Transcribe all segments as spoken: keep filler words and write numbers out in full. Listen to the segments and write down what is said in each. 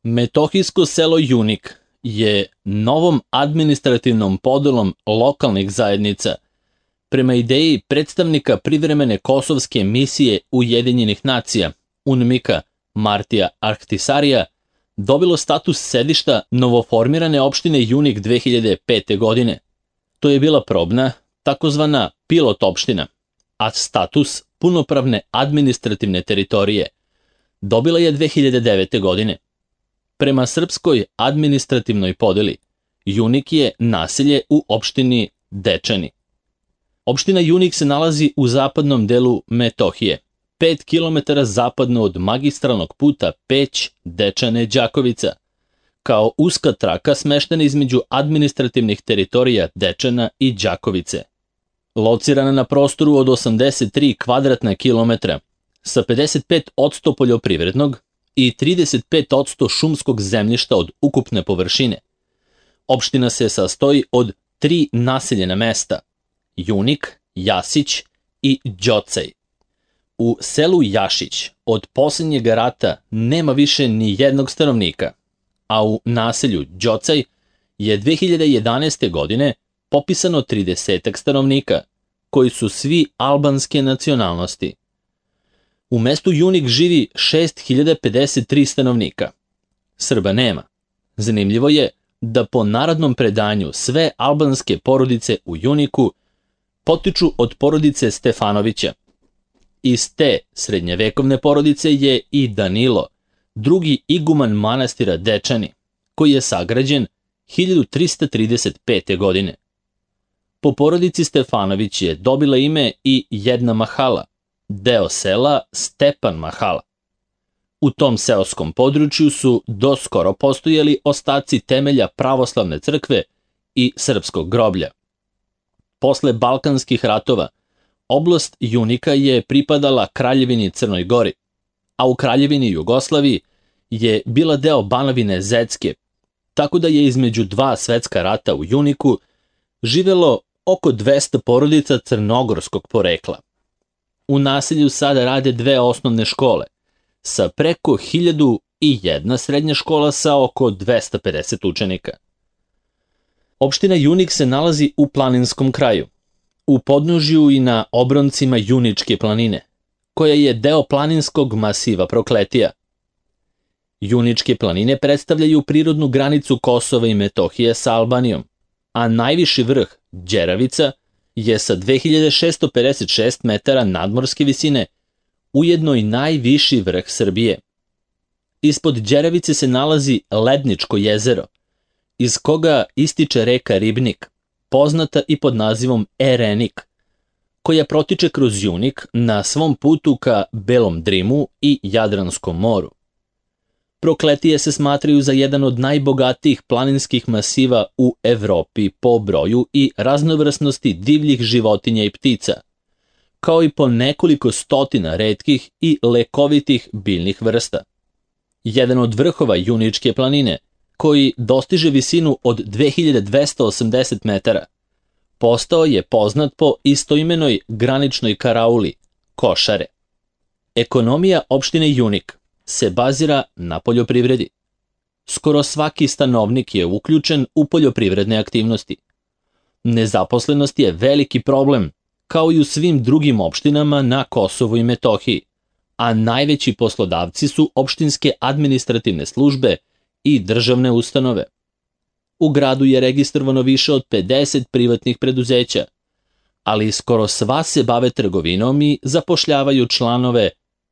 Metohijsko selo Junik je novom administrativnom podelom lokalnih zajednica prema ideji predstavnika privremene kosovske misije Ujedinjenih nacija, UNMIK-a Martija Ahtisarija, dobilo status sedišta novoformirane opštine Junik dve hiljade pete. godine. To je bila probna, takozvana pilot opština, a status punopravne administrativne teritorije dobila je dve hiljade devete. godine. Prema srpskoj administrativnoj podeli, Junik je naselje u opštini Dečani. Opština Junik se nalazi u zapadnom delu Metohije, pet kilometara zapadno od magistralnog puta Peć-Dečane-Đakovica, kao uska traka smeštena između administrativnih teritorija Dečana i Đakovice. Locirana na prostoru od osamdeset tri kvadratna kilometra, sa pedeset pet posto poljoprivrednog i trideset pet posto šumskog zemljišta od ukupne površine. Opština se sastoji od tri naseljena mesta: Junik, Jasić i Đocaj. U selu Jašić od posljednjeg rata nema više ni jednog stanovnika, a u naselju Đocaj je dve hiljade jedanaeste. godine popisano trideset stanovnika, koji su svi albanske nacionalnosti. U mestu Junik živi šest hiljada pedeset tri stanovnika. Srba nema. Zanimljivo je da po narodnom predanju sve albanske porodice u Juniku potiču od porodice Stefanovića. Iz te srednjevekovne porodice je i Danilo, drugi iguman manastira Dečani, koji je sagrađen hiljadu trista trideset pete. godine. Po porodici Stefanović je dobila ime i jedna mahala, deo sela Stepan Mahala. U tom seoskom području su doskoro postojali ostaci temelja pravoslavne crkve i srpskog groblja. Posle Balkanskih ratova, oblast Junika je pripadala Kraljevini Crnoj Gori, a u Kraljevini Jugoslaviji je bila deo Banovine Zecke, tako da je između dva svetska rata u Juniku živelo oko dvesta porodica crnogorskog porekla. U naselju sada rade dve osnovne škole, sa preko hiljadu i jedna srednja škola sa oko dvesta pedeset učenika. Opština Junik se nalazi u planinskom kraju, u podnožju i na obroncima Juničke planine, koja je deo planinskog masiva Prokletija. Juničke planine predstavljaju prirodnu granicu Kosova i Metohije sa Albanijom, a najviši vrh, Đeravica, je sa dve hiljade šesto pedeset šest metara nadmorske visine ujedno i najviši vrh Srbije. Ispod Đeravice se nalazi Ledničko jezero, iz koga ističe reka Ribnik, poznata i pod nazivom Erenik, koja protiče kroz Junik na svom putu ka Belom Drimu i Jadranskom moru. Prokletije se smatraju za jedan od najbogatijih planinskih masiva u Evropi po broju i raznovrsnosti divljih životinja i ptica, kao i po nekoliko stotina retkih i lekovitih biljnih vrsta. Jedan od vrhova Juničke planine, koji dostiže visinu od dve hiljade dvesta osamdeset metara, postao je poznat po istoimenoj graničnoj karauli, Košare. Ekonomija opštine Junik se bazira na poljoprivredi. Skoro svaki stanovnik je uključen u poljoprivredne aktivnosti. Nezaposlenost je veliki problem, kao i u svim drugim opštinama na Kosovu i Metohiji, a najveći poslodavci su opštinske administrativne službe i državne ustanove. U gradu je registrovano više od pedeset privatnih preduzeća, ali skoro sva se bave trgovinom i zapošljavaju članove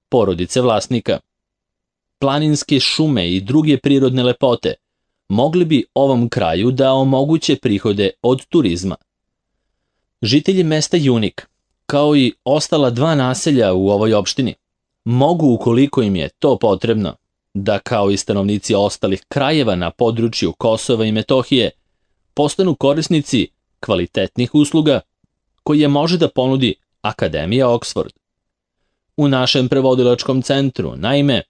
porodice vlasnika. Planinske šume i druge prirodne lepote mogli bi ovom kraju da omoguće prihode od turizma. Žitelji mesta Junik, kao i ostala dva naselja u ovoj opštini, mogu, ukoliko im je to potrebno, da kao i stanovnici ostalih krajeva na području Kosova i Metohije postanu korisnici kvalitetnih usluga koje može da ponudi Akademija Oxford. U našem prevodilačkom centru, naime,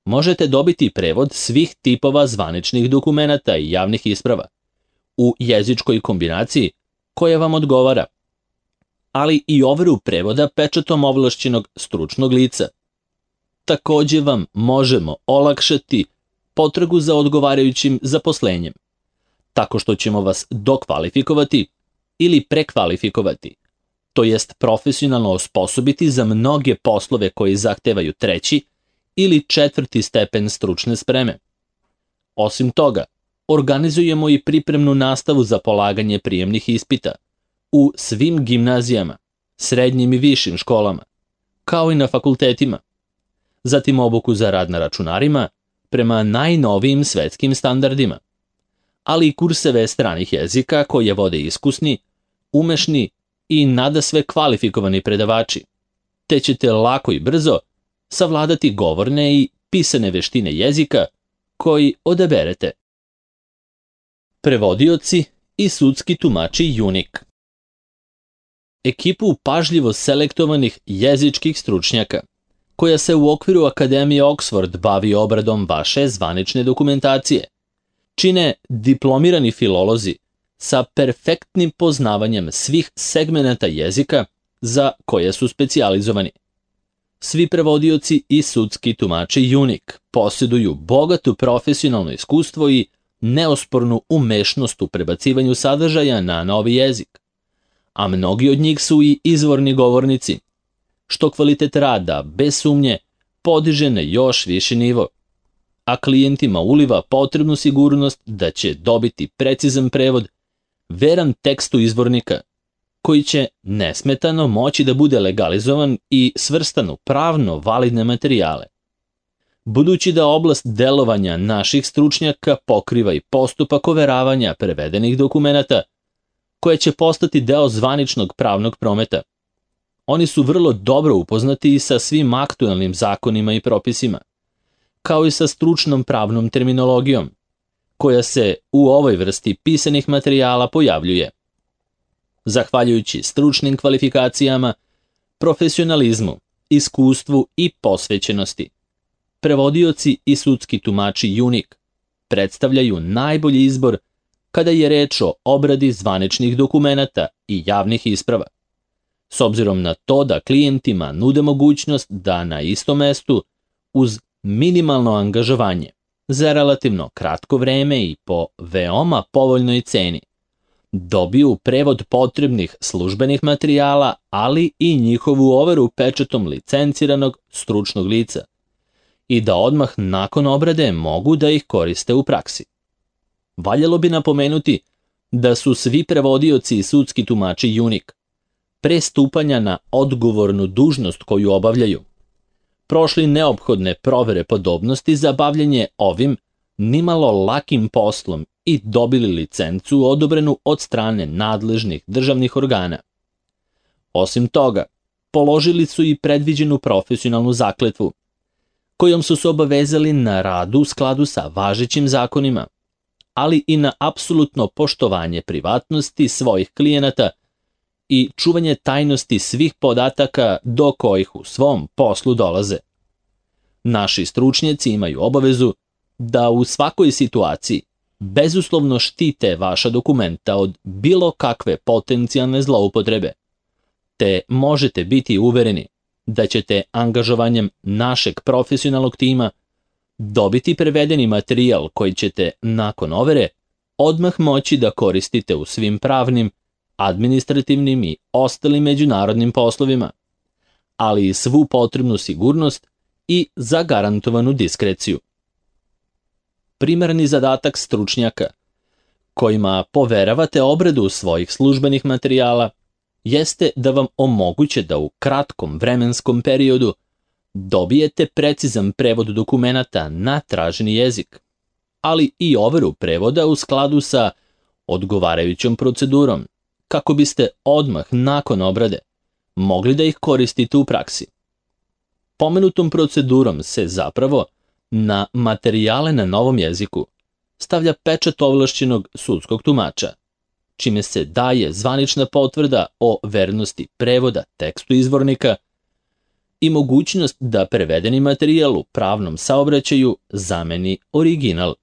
možete dobiti prevod svih tipova zvaničnih dokumenata i javnih isprava u jezičkoj kombinaciji koja vam odgovara, ali i overu prevoda pečatom ovlašćenog stručnog lica. Takođe vam možemo olakšati potragu za odgovarajućim zaposlenjem, tako što ćemo vas dokvalifikovati ili prekvalifikovati, to jest profesionalno osposobiti za mnoge poslove koji zahtevaju treći ili četvrti stepen stručne spreme. Osim toga, organizujemo i pripremnu nastavu za polaganje prijemnih ispita u svim gimnazijama, srednjim i višim školama, kao i na fakultetima. Zatim obuku za rad na računarima prema najnovijim svetskim standardima, ali i kurseve stranih jezika koje vode iskusni, umešni i nadasve kvalifikovani predavači, te ćete lako i brzo savladati govorne i pisane veštine jezika koji odaberete. Prevodioci i sudski tumači UNIC. Ekipu pažljivo selektovanih jezičkih stručnjaka, koja se u okviru Akademije Oxford bavi obradom vaše zvanične dokumentacije, čine diplomirani filolozi sa perfektnim poznavanjem svih segmenata jezika za koje su specijalizovani. Svi prevodioci i sudski tumači UNIC posjeduju bogatu profesionalno iskustvo i neospornu umešnost u prebacivanju sadržaja na novi jezik, a mnogi od njih su i izvorni govornici, što kvalitet rada, bez sumnje, podiže na još viši nivo, a klijentima uliva potrebnu sigurnost da će dobiti precizan prevod, veran tekstu izvornika, koji će nesmetano moći da bude legalizovan i svrstan u pravno validne materijale. Budući da oblast delovanja naših stručnjaka pokriva i postupak overavanja prevedenih dokumenata, koje će postati deo zvaničnog pravnog prometa, oni su vrlo dobro upoznati i sa svim aktuelnim zakonima i propisima, kao i sa stručnom pravnom terminologijom, koja se u ovoj vrsti pisanih materijala pojavljuje. Zahvaljujući stručnim kvalifikacijama, profesionalizmu, iskustvu i posvećenosti, prevodioci i sudski tumači UNIC predstavljaju najbolji izbor kada je reč o obradi zvaničnih dokumenata i javnih isprava, s obzirom na to da klijentima nude mogućnost da na istom mestu, uz minimalno angažovanje, za relativno kratko vreme i po veoma povoljnoj ceni, dobiju prevod potrebnih službenih materijala, ali i njihovu overu pečatom licenciranog stručnog lica, i da odmah nakon obrade mogu da ih koriste u praksi. Valjalo bi napomenuti da su svi prevodioci i sudski tumači UNIC, pre stupanja na odgovornu dužnost koju obavljaju, prošli neophodne provere podobnosti za bavljanje ovim nimalo lakim poslom i dobili licencu odobrenu od strane nadležnih državnih organa. Osim toga, položili su i predviđenu profesionalnu zakletvu, kojom su se obavezali na radu u skladu sa važećim zakonima, ali i na apsolutno poštovanje privatnosti svojih klijenata i čuvanje tajnosti svih podataka do kojih u svom poslu dolaze. Naši stručnjaci imaju obavezu da u svakoj situaciji bezuslovno štite vaša dokumenta od bilo kakve potencijalne zloupotrebe, te možete biti uvereni da ćete angažovanjem našeg profesionalnog tima dobiti prevedeni materijal koji ćete, nakon overe, odmah moći da koristite u svim pravnim, administrativnim i ostalim međunarodnim poslovima, ali i svu potrebnu sigurnost i zagarantovanu diskreciju. Primarni zadatak stručnjaka, kojima poveravate obradu svojih službenih materijala, jeste da vam omoguće da u kratkom vremenskom periodu dobijete precizan prevod dokumenata na traženi jezik, ali i overu prevoda u skladu sa odgovarajućom procedurom, kako biste odmah nakon obrade mogli da ih koristite u praksi. Pomenutom procedurom se zapravo na materijale na novom jeziku stavlja pečat ovlašćenog sudskog tumača, čime se daje zvanična potvrda o vernosti prevoda tekstu izvornika i mogućnost da prevedeni materijal u pravnom saobraćaju zameni original.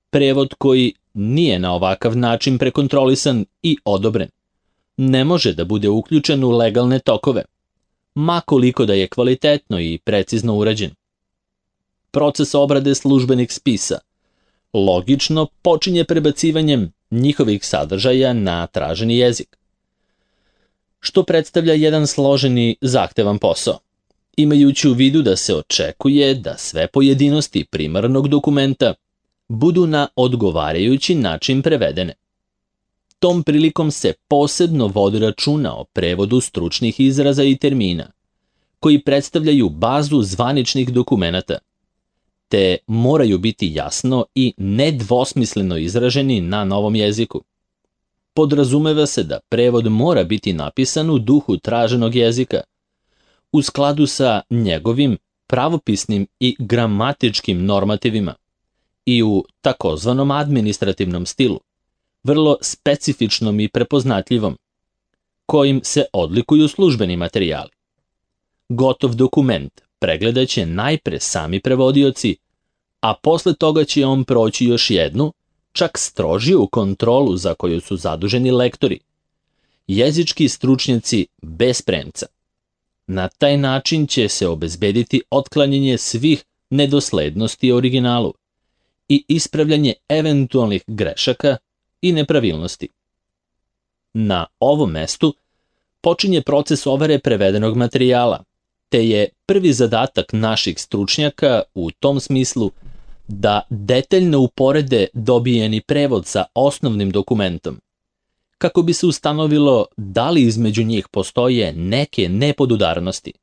Prevod koji nije na ovakav način prekontrolisan i odobren ne može da bude uključen u legalne tokove, ma koliko da je kvalitetno i precizno urađen. proces obrade službenih spisa, logično počinje prebacivanjem njihovih sadržaja na traženi jezik, što predstavlja jedan složeni, zahtevan posao, imajući u vidu da se očekuje da sve pojedinosti primarnog dokumenta budu na odgovarajući način prevedene. Tom prilikom se posebno vodi računa o prevodu stručnih izraza i termina, koji predstavljaju bazu zvaničnih dokumenata, te moraju biti jasno i nedvosmisleno izraženi na novom jeziku. Podrazumeva se da prevod mora biti napisan u duhu traženog jezika, u skladu sa njegovim pravopisnim i gramatičkim normativima i u takozvanom administrativnom stilu, vrlo specifičnom i prepoznatljivom, kojim se odlikuju službeni materijali. Gotov dokument pregledaće najpre sami prevodioci, a posle toga će on proći još jednu, čak strožiju kontrolu za koju su zaduženi lektori, jezički stručnjaci bez premca. Na taj način će se obezbediti otklanjanje svih nedoslednosti originalu i ispravljanje eventualnih grešaka i nepravilnosti. Na ovom mestu počinje proces overe prevedenog materijala, te je prvi zadatak naših stručnjaka u tom smislu da detaljno uporede dobijeni prevod sa osnovnim dokumentom, kako bi se ustanovilo da li između njih postoje neke nepodudarnosti,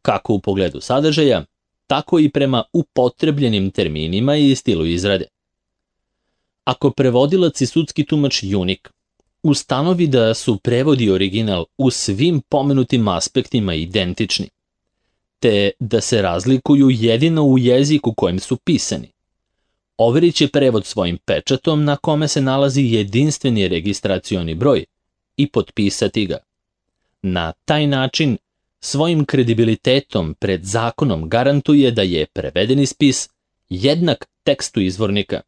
kako u pogledu sadržaja, tako i prema upotrebljenim terminima i stilu izrade. Ako prevodilac i sudski tumač Junik ustanovi da su prevod i original u svim pomenutim aspektima identični, te da se razlikuju jedino u jeziku kojem su pisani, overit će prevod svojim pečatom na kome se nalazi jedinstveni registracioni broj i potpisati ga. Na taj način svojim kredibilitetom pred zakonom garantuje da je prevedeni spis jednak tekstu izvornika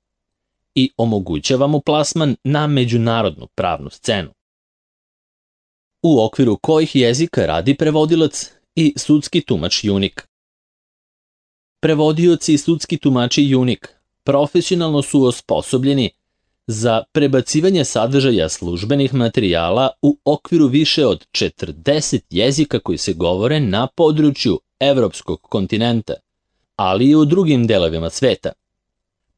i omogućava mu plasman na međunarodnu pravnu scenu. U okviru kojih jezika radi prevodilac i sudski tumač Junik. Prevodioci i sudski tumači Junik profesionalno su osposobljeni za prebacivanje sadržaja službenih materijala u okviru više od četrdeset jezika koji se govore na području evropskog kontinenta, ali i u drugim delovima sveta.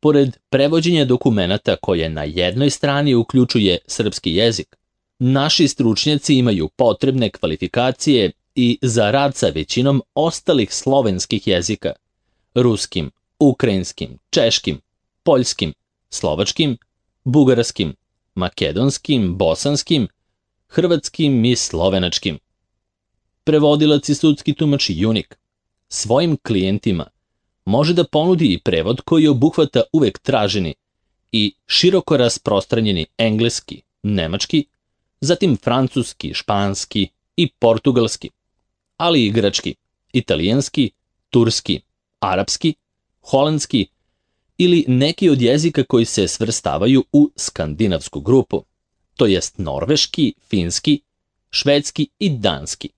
Pored prevođenja dokumenata koje na jednoj strani uključuje srpski jezik, naši stručnjaci imaju potrebne kvalifikacije i za rad sa većinom ostalih slovenskih jezika, ruskim, ukrajinskim, češkim, poljskim, slovačkim, bugarskim, makedonskim, bosanskim, hrvatskim i slovenačkim. Prevodilac i sudski tumač Junik svojim klijentima može da ponudi i prevod koji obuhvata uvek traženi i široko rasprostranjeni engleski, nemački, zatim francuski, španski i portugalski, ali i grčki, italijanski, turski, arapski, holandski ili neki od jezika koji se svrstavaju u skandinavsku grupu, to jest norveški, finski, švedski i danski.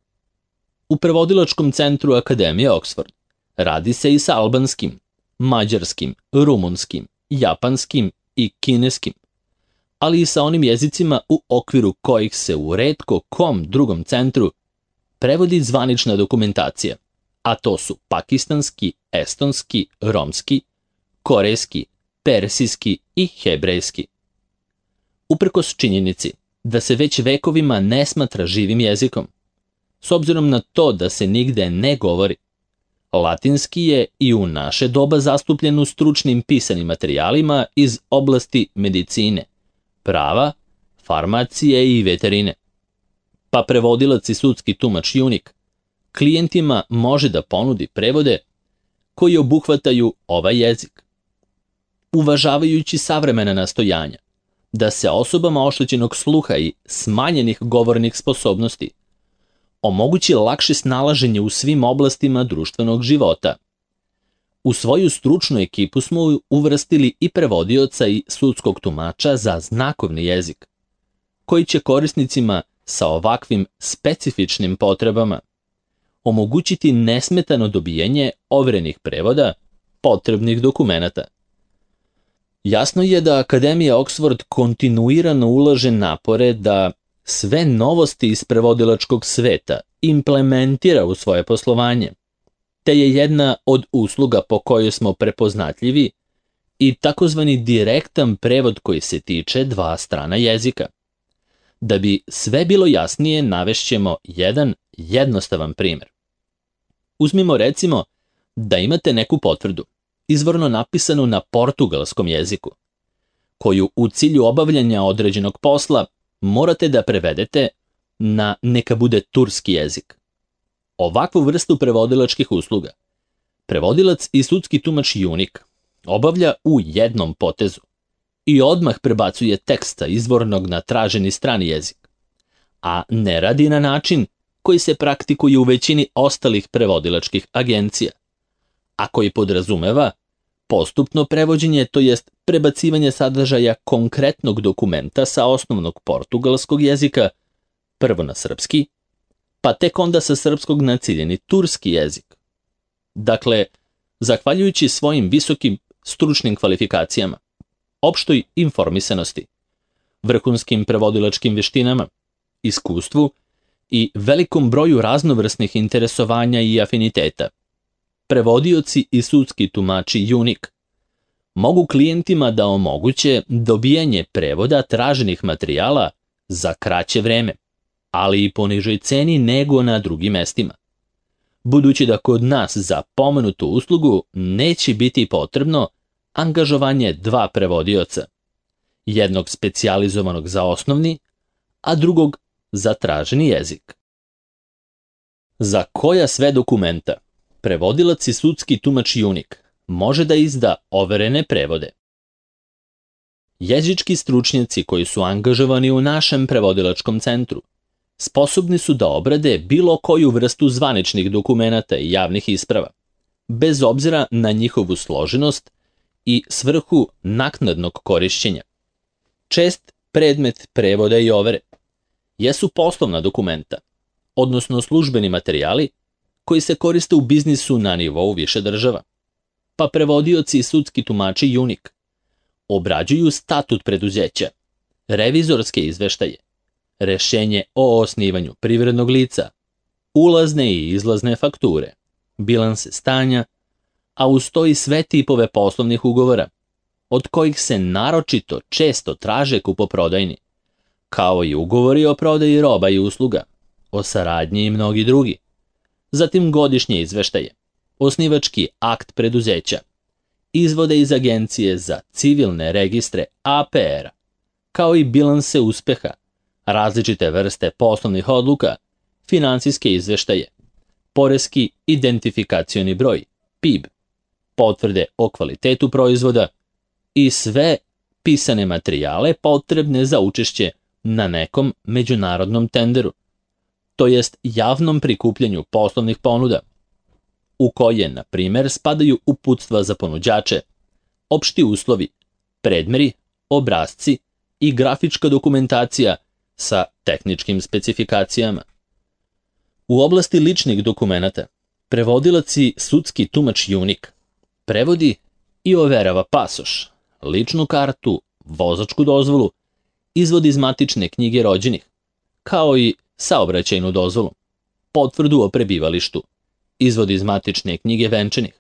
U prevodilačkom centru Akademije Oxford radi se i sa albanskim, mađarskim, rumunskim, japanskim i kineskim, ali i sa onim jezicima u okviru kojih se u retko kom drugom centru prevodi zvanična dokumentacija, a to su pakistanski, estonski, romski, korejski, persijski i hebrejski. Uprkos činjenici da se već vekovima ne smatra živim jezikom, s obzirom na to da se nigde ne govori, latinski je i u naše doba zastupljen u stručnim pisanim materijalima iz oblasti medicine, prava, farmacije i veterine. Pa prevodilac i sudski tumač Junik klijentima može da ponudi prevode koji obuhvataju ovaj jezik. Uvažavajući savremena nastojanja da se osobama oštećenog sluha i smanjenih govornih sposobnosti omogući lakše snalaženje u svim oblastima društvenog života. U svoju stručnu ekipu smo uvrstili i prevodioca i sudskog tumača za znakovni jezik, koji će korisnicima sa ovakvim specifičnim potrebama omogućiti nesmetano dobijanje overenih prevoda potrebnih dokumenata. Jasno je da Akademija Oxford kontinuirano ulaže napore da sve novosti iz prevodilačkog sveta implementira u svoje poslovanje, te je jedna od usluga po kojoj smo prepoznatljivi i takozvani direktan prevod koji se tiče dva strana jezika. Da bi sve bilo jasnije, navešćemo jedan jednostavan primjer. Uzmimo recimo da imate neku potvrdu, izvorno napisanu na portugalskom jeziku, koju u cilju obavljanja određenog posla morate da prevedete na neka bude turski jezik. Ovakvu vrstu prevodilačkih usluga prevodilac i sudski tumač Junik obavlja u jednom potezu i odmah prebacuje teksta izvornog na traženi strani jezik, a ne radi na način koji se praktikuje u većini ostalih prevodilačkih agencija, a koji podrazumeva postupno prevođenje, to jest prebacivanje sadržaja konkretnog dokumenta sa osnovnog portugalskog jezika prvo na srpski, pa tek onda sa srpskog na ciljeni turski jezik. Dakle, zahvaljujući svojim visokim stručnim kvalifikacijama, opštoj informisanosti, vrhunskim prevodilačkim veštinama, iskustvu i velikom broju raznovrsnih interesovanja i afiniteta, prevodioci i sudski tumači Junik mogu klijentima da omoguće dobijanje prevoda traženih materijala za kraće vreme, ali i po nižoj ceni nego na drugim mestima. Budući da kod nas za pomenutu uslugu neće biti potrebno angažovanje dva prevodioca, jednog specijalizovanog za osnovni, a drugog za traženi jezik. Za koja sve dokumenta prevodilac i sudski tumač Junik može da izda overene prevode? Jezički stručnjaci koji su angažovani u našem prevodilačkom centru sposobni su da obrade bilo koju vrstu zvaničnih dokumenata i javnih isprava, bez obzira na njihovu složenost i svrhu naknadnog korišćenja. Čest predmet prevoda i overe jesu poslovna dokumenta, odnosno službeni materijali koji se koriste u biznisu na nivou više država, pa prevodioci i sudski tumači Junik obrađuju statut preduzeća, revizorske izveštaje, rešenje o osnivanju privrednog lica, ulazne i izlazne fakture, bilanse stanja, a uz to i sve tipove poslovnih ugovora, od kojih se naročito često traže kupoprodajni, kao i ugovori o prodaji roba i usluga, o saradnji i mnogi drugi. Zatim godišnje izveštaje, osnivački akt preduzeća, izvode iz Agencije za civilne registre A P R-a, kao i bilanse uspeha, različite vrste poslovnih odluka, finansijske izveštaje, poreski identifikacioni broj, P I B, potvrde o kvalitetu proizvoda i sve pisane materijale potrebne za učešće na nekom međunarodnom tenderu, to jest javnom prikupljanju poslovnih ponuda, u koje, na primer, spadaju uputstva za ponuđače, opšti uslovi, predmeri, obrasci i grafička dokumentacija sa tehničkim specifikacijama. U oblasti ličnih dokumenata, prevodilac i sudski tumač Junik prevodi i overava pasoš, ličnu kartu, vozačku dozvolu, izvod iz matične knjige rođenih, kao i saobraćajnu dozvolu, potvrdu o prebivalištu, izvod iz matične knjige venčanih,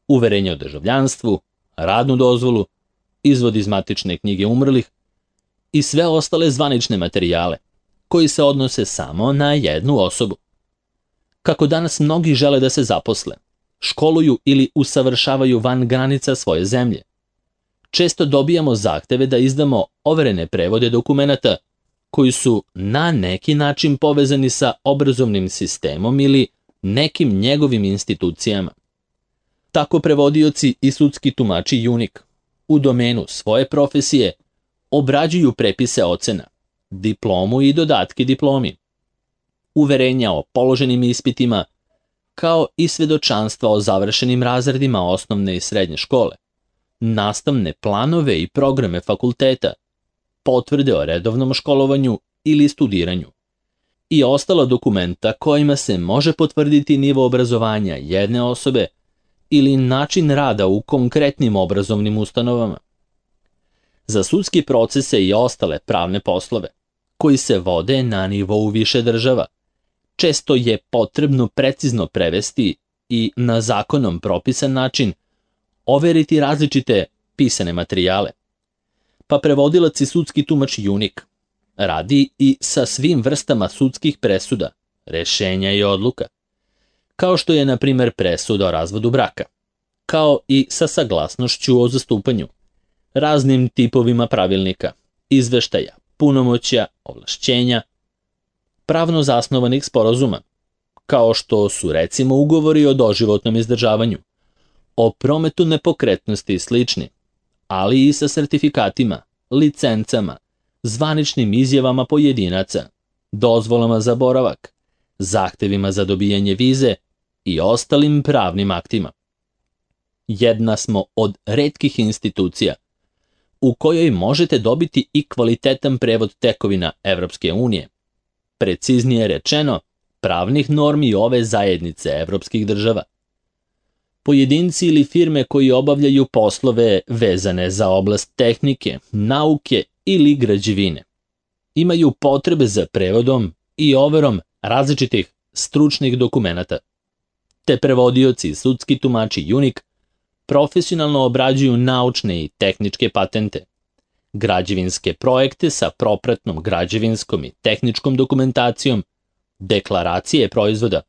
uverenje o državljanstvu, radnu dozvolu, izvod iz matične knjige umrlih i sve ostale zvanične materijale koji se odnose samo na jednu osobu. Kako danas mnogi žele da se zaposle, školuju ili usavršavaju van granica svoje zemlje, često dobijamo zahteve da izdamo overene prevode dokumenata koji su na neki način povezani sa obrazovnim sistemom ili nekim njegovim institucijama. Tako prevodioci i sudski tumači Junik u domenu svoje profesije obrađuju prepise ocena, diplomu i dodatke diplomi, uverenja o položenim ispitima, kao i svedočanstva o završenim razredima osnovne i srednje škole, nastavne planove i programe fakulteta, potvrde o redovnom školovanju ili studiranju i ostala dokumenta kojima se može potvrditi nivo obrazovanja jedne osobe ili način rada u konkretnim obrazovnim ustanovama. Za sudski procese i ostale pravne poslove, koji se vode na nivou više država, često je potrebno precizno prevesti i na zakonom propisan način overiti različite pisane materijale. Pa prevodilac i sudski tumač Junik radi i sa svim vrstama sudskih presuda, rešenja i odluka, kao što je, na primer, presuda o razvodu braka, kao i sa saglasnošću o zastupanju, raznim tipovima pravilnika, izveštaja, punomoćja, ovlašćenja, pravno zasnovanih sporazuma, kao što su recimo ugovori o doživotnom izdržavanju, o prometu nepokretnosti i slični, ali i sa sertifikatima, licencama, zvaničnim izjavama pojedinaca, dozvolama za boravak, zahtevima za dobijanje vize i ostalim pravnim aktima. Jedna smo od retkih institucija u kojoj možete dobiti i kvalitetan prevod tekovina Evropske unije, preciznije rečeno, pravnih normi ove zajednice evropskih država. Pojedinci ili firme koji obavljaju poslove vezane za oblast tehnike, nauke ili građevine imaju potrebe za prevodom i overom različitih stručnih dokumenata. Te prevodioci i sudski tumači Junik profesionalno obrađuju naučne i tehničke patente, građevinske projekte sa propratnom građevinskom i tehničkom dokumentacijom, deklaracije proizvoda,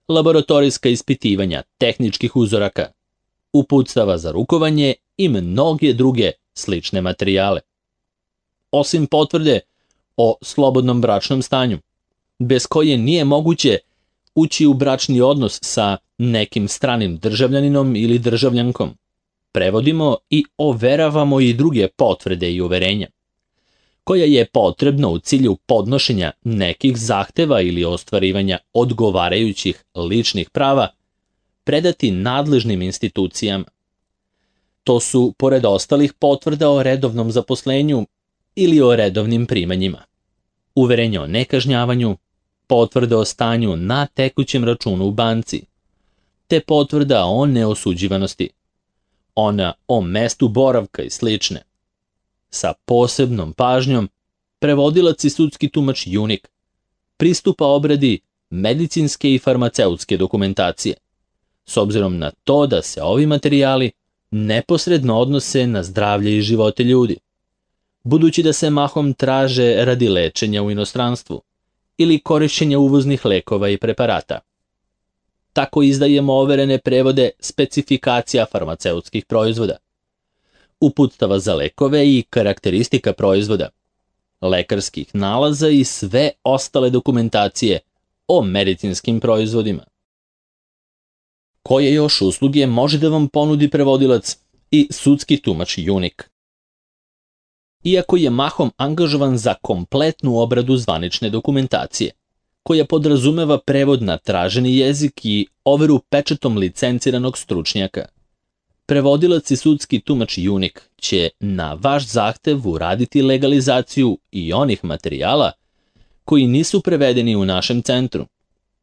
laboratorijska ispitivanja tehničkih uzoraka, uputstava za rukovanje i mnoge druge slične materijale. Osim potvrde o slobodnom bračnom stanju, bez koje nije moguće ući u bračni odnos sa nekim stranim državljaninom ili državljankom, prevodimo i overavamo i druge potvrde i uverenja, koja je potrebno u cilju podnošenja nekih zahteva ili ostvarivanja odgovarajućih ličnih prava predati nadležnim institucijama. To su, pored ostalih, potvrda o redovnom zaposlenju ili o redovnim primanjima, uverenje o nekažnjavanju, potvrda o stanju na tekućem računu u banci, te potvrda o neosuđivanosti, ona o mestu boravka i slične. Sa posebnom pažnjom, prevodilac i sudski tumač Junik pristupa obradi medicinske i farmaceutske dokumentacije, s obzirom na to da se ovi materijali neposredno odnose na zdravlje i živote ljudi, budući da se mahom traže radi lečenja u inostranstvu ili korišćenja uvoznih lekova i preparata. Tako izdajemo overene prevode specifikacija farmaceutskih proizvoda, uputstava za lekove i karakteristika proizvoda, lekarskih nalaza i sve ostale dokumentacije o medicinskim proizvodima. Koje još usluge može da vam ponudi prevodilac i sudski tumač Junik? Iako je mahom angažovan za kompletnu obradu zvanične dokumentacije, koja podrazumeva prevod na traženi jezik i overu pečatom licenciranog stručnjaka, prevodilac i sudski tumač Junik će na vaš zahtev uraditi legalizaciju i onih materijala koji nisu prevedeni u našem centru,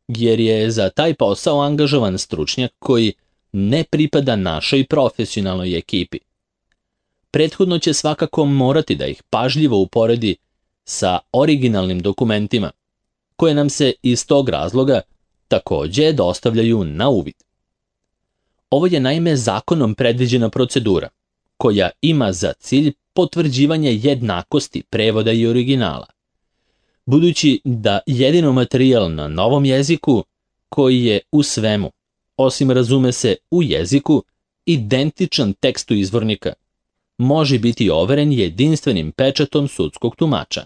jer je za taj posao angažovan stručnjak koji ne pripada našoj profesionalnoj ekipi. Prethodno će svakako morati da ih pažljivo uporedi sa originalnim dokumentima, koje nam se iz tog razloga takođe dostavljaju na uvid. Ovo je naime zakonom predviđena procedura, koja ima za cilj potvrđivanje jednakosti prevoda i originala, budući da jedino materijal na novom jeziku, koji je u svemu, osim razume se u jeziku, identičan tekstu izvornika, može biti overen jedinstvenim pečatom sudskog tumača.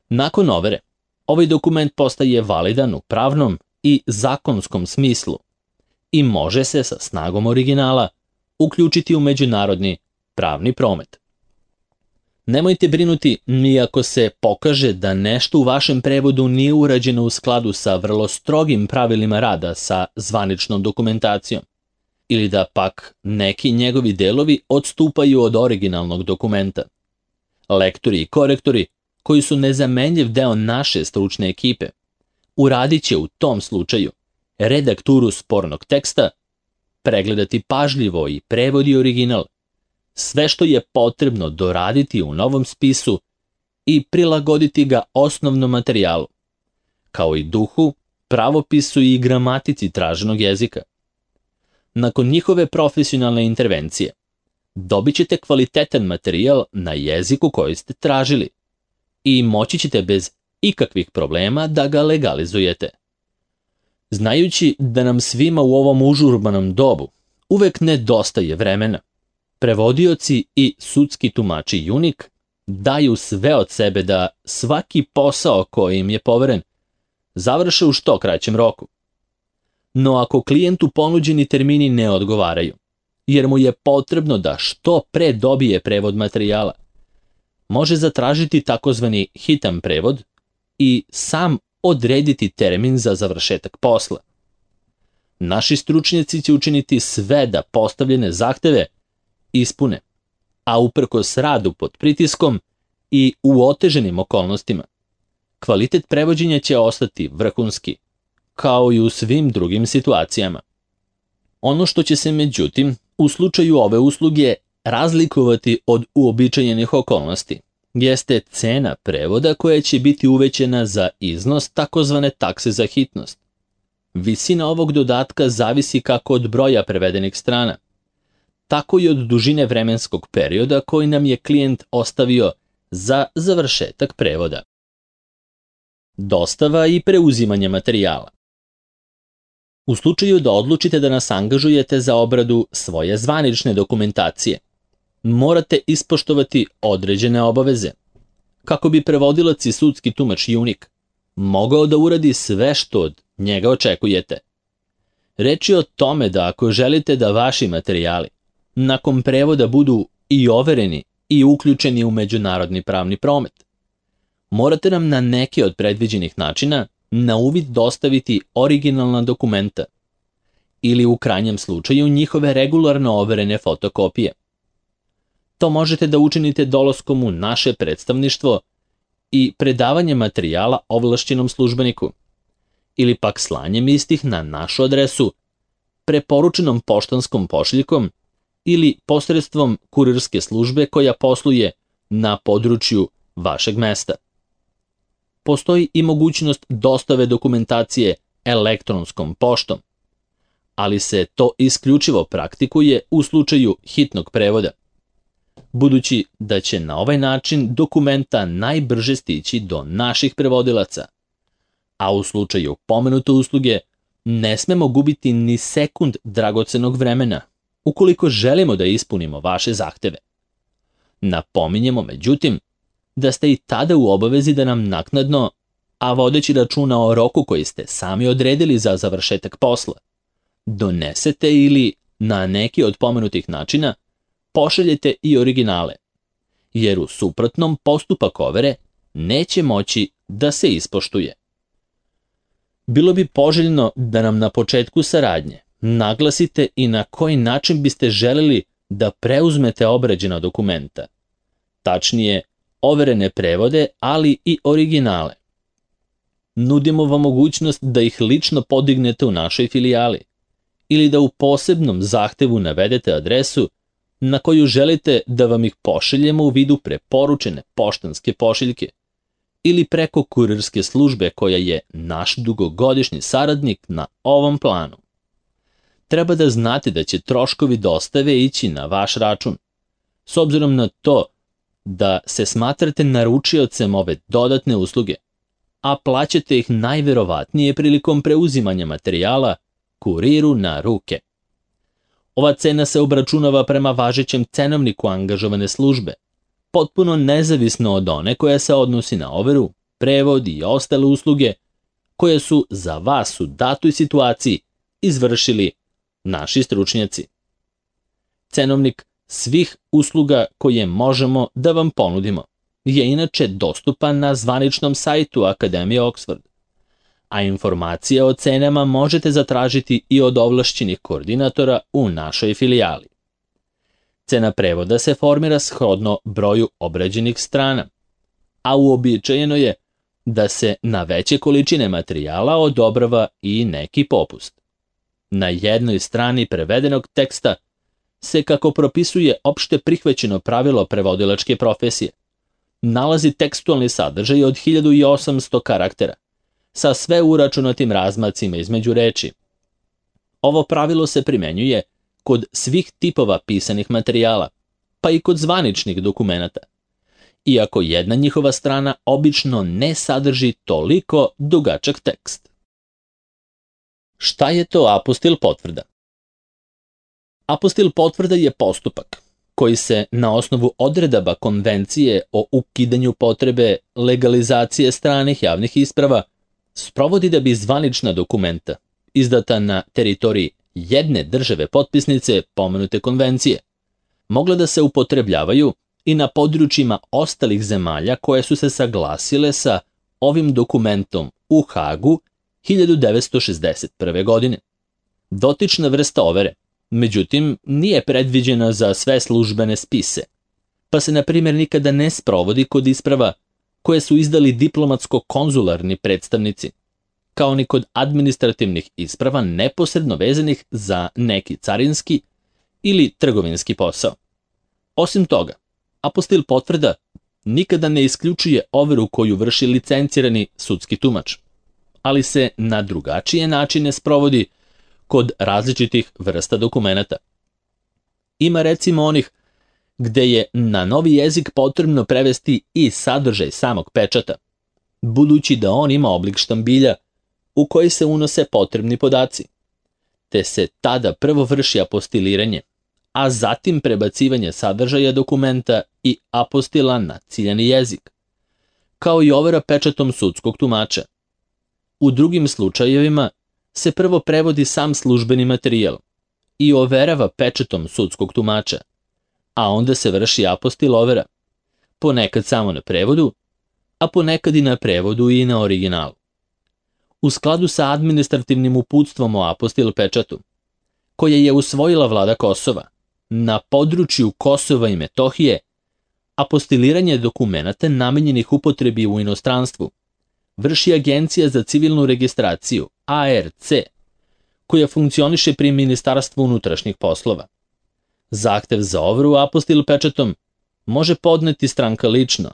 Nakon overe, ovaj dokument postaje validan u pravnom i zakonskom smislu i može se sa snagom originala uključiti u međunarodni pravni promet. Nemojte brinuti ni ako se pokaže da nešto u vašem prevodu nije urađeno u skladu sa vrlo strogim pravilima rada sa zvaničnom dokumentacijom, ili da pak neki njegovi delovi odstupaju od originalnog dokumenta. Lektori i korektori, koji su nezamenljiv deo naše stručne ekipe, uradit će u tom slučaju redakturu spornog teksta, pregledati pažljivo i prevod i original, sve što je potrebno doraditi u novom spisu i prilagoditi ga osnovnom materijalu, kao i duhu, pravopisu i gramatici traženog jezika. Nakon njihove profesionalne intervencije, dobit ćete kvalitetan materijal na jeziku koji ste tražili i moći ćete bez ikakvih problema da ga legalizujete. Znajući da nam svima u ovom užurbanom dobu uvek nedostaje vremena, prevodioci i sudski tumači UNIC daju sve od sebe da svaki posao koji im je poveren završe u što kraćem roku. No ako klijentu ponuđeni termini ne odgovaraju, jer mu je potrebno da što pre dobije prevod materijala, može zatražiti takozvani hitan prevod i sam odrediti termin za završetak posla. Naši stručnjaci će učiniti sve da postavljene zahteve ispune, a uprkos radu pod pritiskom i u oteženim okolnostima, kvalitet prevođenja će ostati vrhunski, kao i u svim drugim situacijama. Ono što će se međutim u slučaju ove usluge razlikovati od uobičajenih okolnosti jeste cena prevoda koja će biti uvećana za iznos takozvane takse za hitnost. Visina ovog dodatka zavisi kako od broja prevedenih strana, tako i od dužine vremenskog perioda koji nam je klijent ostavio za završetak prevoda. Dostava i preuzimanje materijala. U slučaju da odlučite da nas angažujete za obradu svoje zvanične dokumentacije, morate ispoštovati određene obaveze, kako bi prevodilac i sudski tumač UNIC mogao da uradi sve što od njega očekujete. Reč je o tome da ako želite da vaši materijali nakon prevoda budu i overeni i uključeni u međunarodni pravni promet, morate nam na neke od predviđenih načina na uvid dostaviti originalna dokumenta ili u krajnjem slučaju njihove regularno overene fotokopije. To možete da učinite dolaskom u naše predstavništvo i predavanje materijala ovlašćenom službeniku, ili pak slanjem istih na našu adresu, preporučenom poštanskom pošiljkom ili posredstvom kurirske službe koja posluje na području vašeg mesta. Postoji i mogućnost dostave dokumentacije elektronskom poštom, ali se to isključivo praktikuje u slučaju hitnog prevoda, budući da će na ovaj način dokumenta najbrže stići do naših prevodilaca, a u slučaju pomenute usluge ne smemo gubiti ni sekund dragocenog vremena ukoliko želimo da ispunimo vaše zahteve. Napominjemo, međutim, da ste i tada u obavezi da nam naknadno, a vodeći računa o roku koji ste sami odredili za završetak posla, donesete ili na neki od pomenutih načina pošaljete i originale, jer u suprotnom postupak overe neće moći da se ispoštuje. Bilo bi poželjno da nam na početku saradnje naglasite i na koji način biste želeli da preuzmete obrađena dokumenta, tačnije overene prevode, ali i originale. Nudimo vam mogućnost da ih lično podignete u našoj filijali ili da u posebnom zahtevu navedete adresu na koju želite da vam ih pošaljemo u vidu preporučene poštanske pošiljke ili preko kurirske službe koja je naš dugogodišnji saradnik na ovom planu. Treba da znate da će troškovi dostave ići na vaš račun, s obzirom na to da se smatrate naručiocem ove dodatne usluge, a plaćate ih najverovatnije prilikom preuzimanja materijala kuriru na ruke. Ova cena se obračunava prema važećem cenovniku angažovane službe, potpuno nezavisno od one koja se odnosi na overu, prevod i ostale usluge koje su za vas u datoj situaciji izvršili naši stručnjaci. Cenovnik svih usluga koje možemo da vam ponudimo je inače dostupan na zvaničnom sajtu Akademije Oxford, a informacije o cenama možete zatražiti i od ovlašćenih koordinatora u našoj filijali. Cena prevoda se formira shodno broju obrađenih strana, a uobičajeno je da se na veće količine materijala odobrava i neki popust. Na jednoj strani prevedenog teksta se, kako propisuje opšte prihvaćeno pravilo prevodilačke profesije, nalazi tekstualni sadržaj od hiljadu osamsto karaktera, sa sve uračunatim razmacima između reči. Ovo pravilo se primenjuje kod svih tipova pisanih materijala, pa i kod zvaničnih dokumenata, iako jedna njihova strana obično ne sadrži toliko dugačak tekst. Šta je to apostil potvrda? Apostil potvrda je postupak koji se na osnovu odredaba Konvencije o ukidanju potrebe legalizacije stranih javnih isprava sprovodi da bi zvanična dokumenta izdata na teritoriji jedne države potpisnice pomenute konvencije mogla da se upotrebljavaju i na područjima ostalih zemalja koje su se saglasile sa ovim dokumentom u Hagu hiljadu devetsto šezdeset prve. godine. Dotična vrsta overe, međutim, nije predviđena za sve službene spise, pa se, na primjer, nikada ne sprovodi kod isprava koje su izdali diplomatsko-konzularni predstavnici, kao ni kod administrativnih isprava neposredno vezanih za neki carinski ili trgovinski posao. Osim toga, apostil potvrda nikada ne isključuje overu koju vrši licencirani sudski tumač, ali se na drugačije načine sprovodi kod različitih vrsta dokumenata. Ima recimo onih gde je na novi jezik potrebno prevesti i sadržaj samog pečata, budući da on ima oblik štambilja u koji se unose potrebni podaci, te se tada prvo vrši apostiliranje, a zatim prebacivanje sadržaja dokumenta i apostila na ciljani jezik, kao i overa pečatom sudskog tumača. U drugim slučajevima se prvo prevodi sam službeni materijal i overava pečatom sudskog tumača, a onda se vrši apostil overa, ponekad samo na prevodu, a ponekad i na prevodu i na originalu. U skladu sa administrativnim uputstvom o apostil pečatu, koje je usvojila vlada Kosova, na području Kosova i Metohije, apostiliranje dokumenata namenjenih upotrebi u inostranstvu vrši Agencija za civilnu registraciju, A R C, koja funkcioniše pri Ministarstvu unutrašnjih poslova. Zahtev za overu apostil pečatom može podneti stranka lično,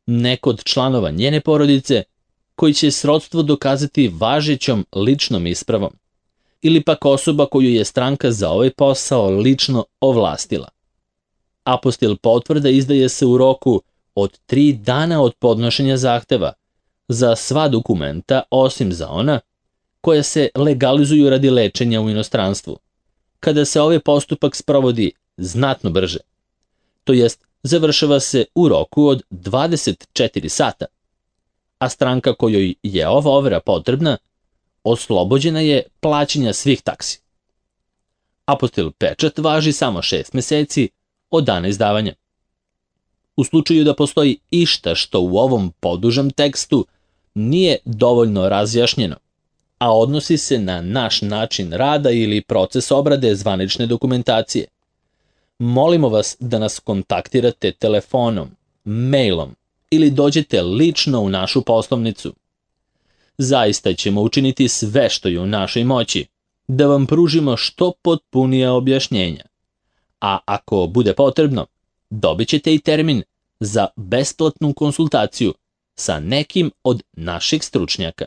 neko od članova njene porodice koji će srodstvo dokazati važećom ličnom ispravom, ili pak osoba koju je stranka za ovaj posao lično ovlastila. Apostil potvrda izdaje se u roku od tri dana od podnošenja zahteva za sva dokumenta osim za ona koja se legalizuju radi lečenja u inostranstvu, kada se ovaj postupak sprovodi znatno brže, to jest završava se u roku od dvadeset četiri sata, a stranka kojoj je ova overa potrebna oslobođena je plaćanja svih taksi. Apostil pečat važi samo šest meseci od dana izdavanja. U slučaju da postoji išta što u ovom podužem tekstu nije dovoljno razjašnjeno, a odnosi se na naš način rada ili proces obrade zvanične dokumentacije, molimo vas da nas kontaktirate telefonom, mailom ili dođete lično u našu poslovnicu. Zaista ćemo učiniti sve što je u našoj moći da vam pružimo što potpunija objašnjenja, a ako bude potrebno, dobit ćete i termin za besplatnu konsultaciju sa nekim od naših stručnjaka.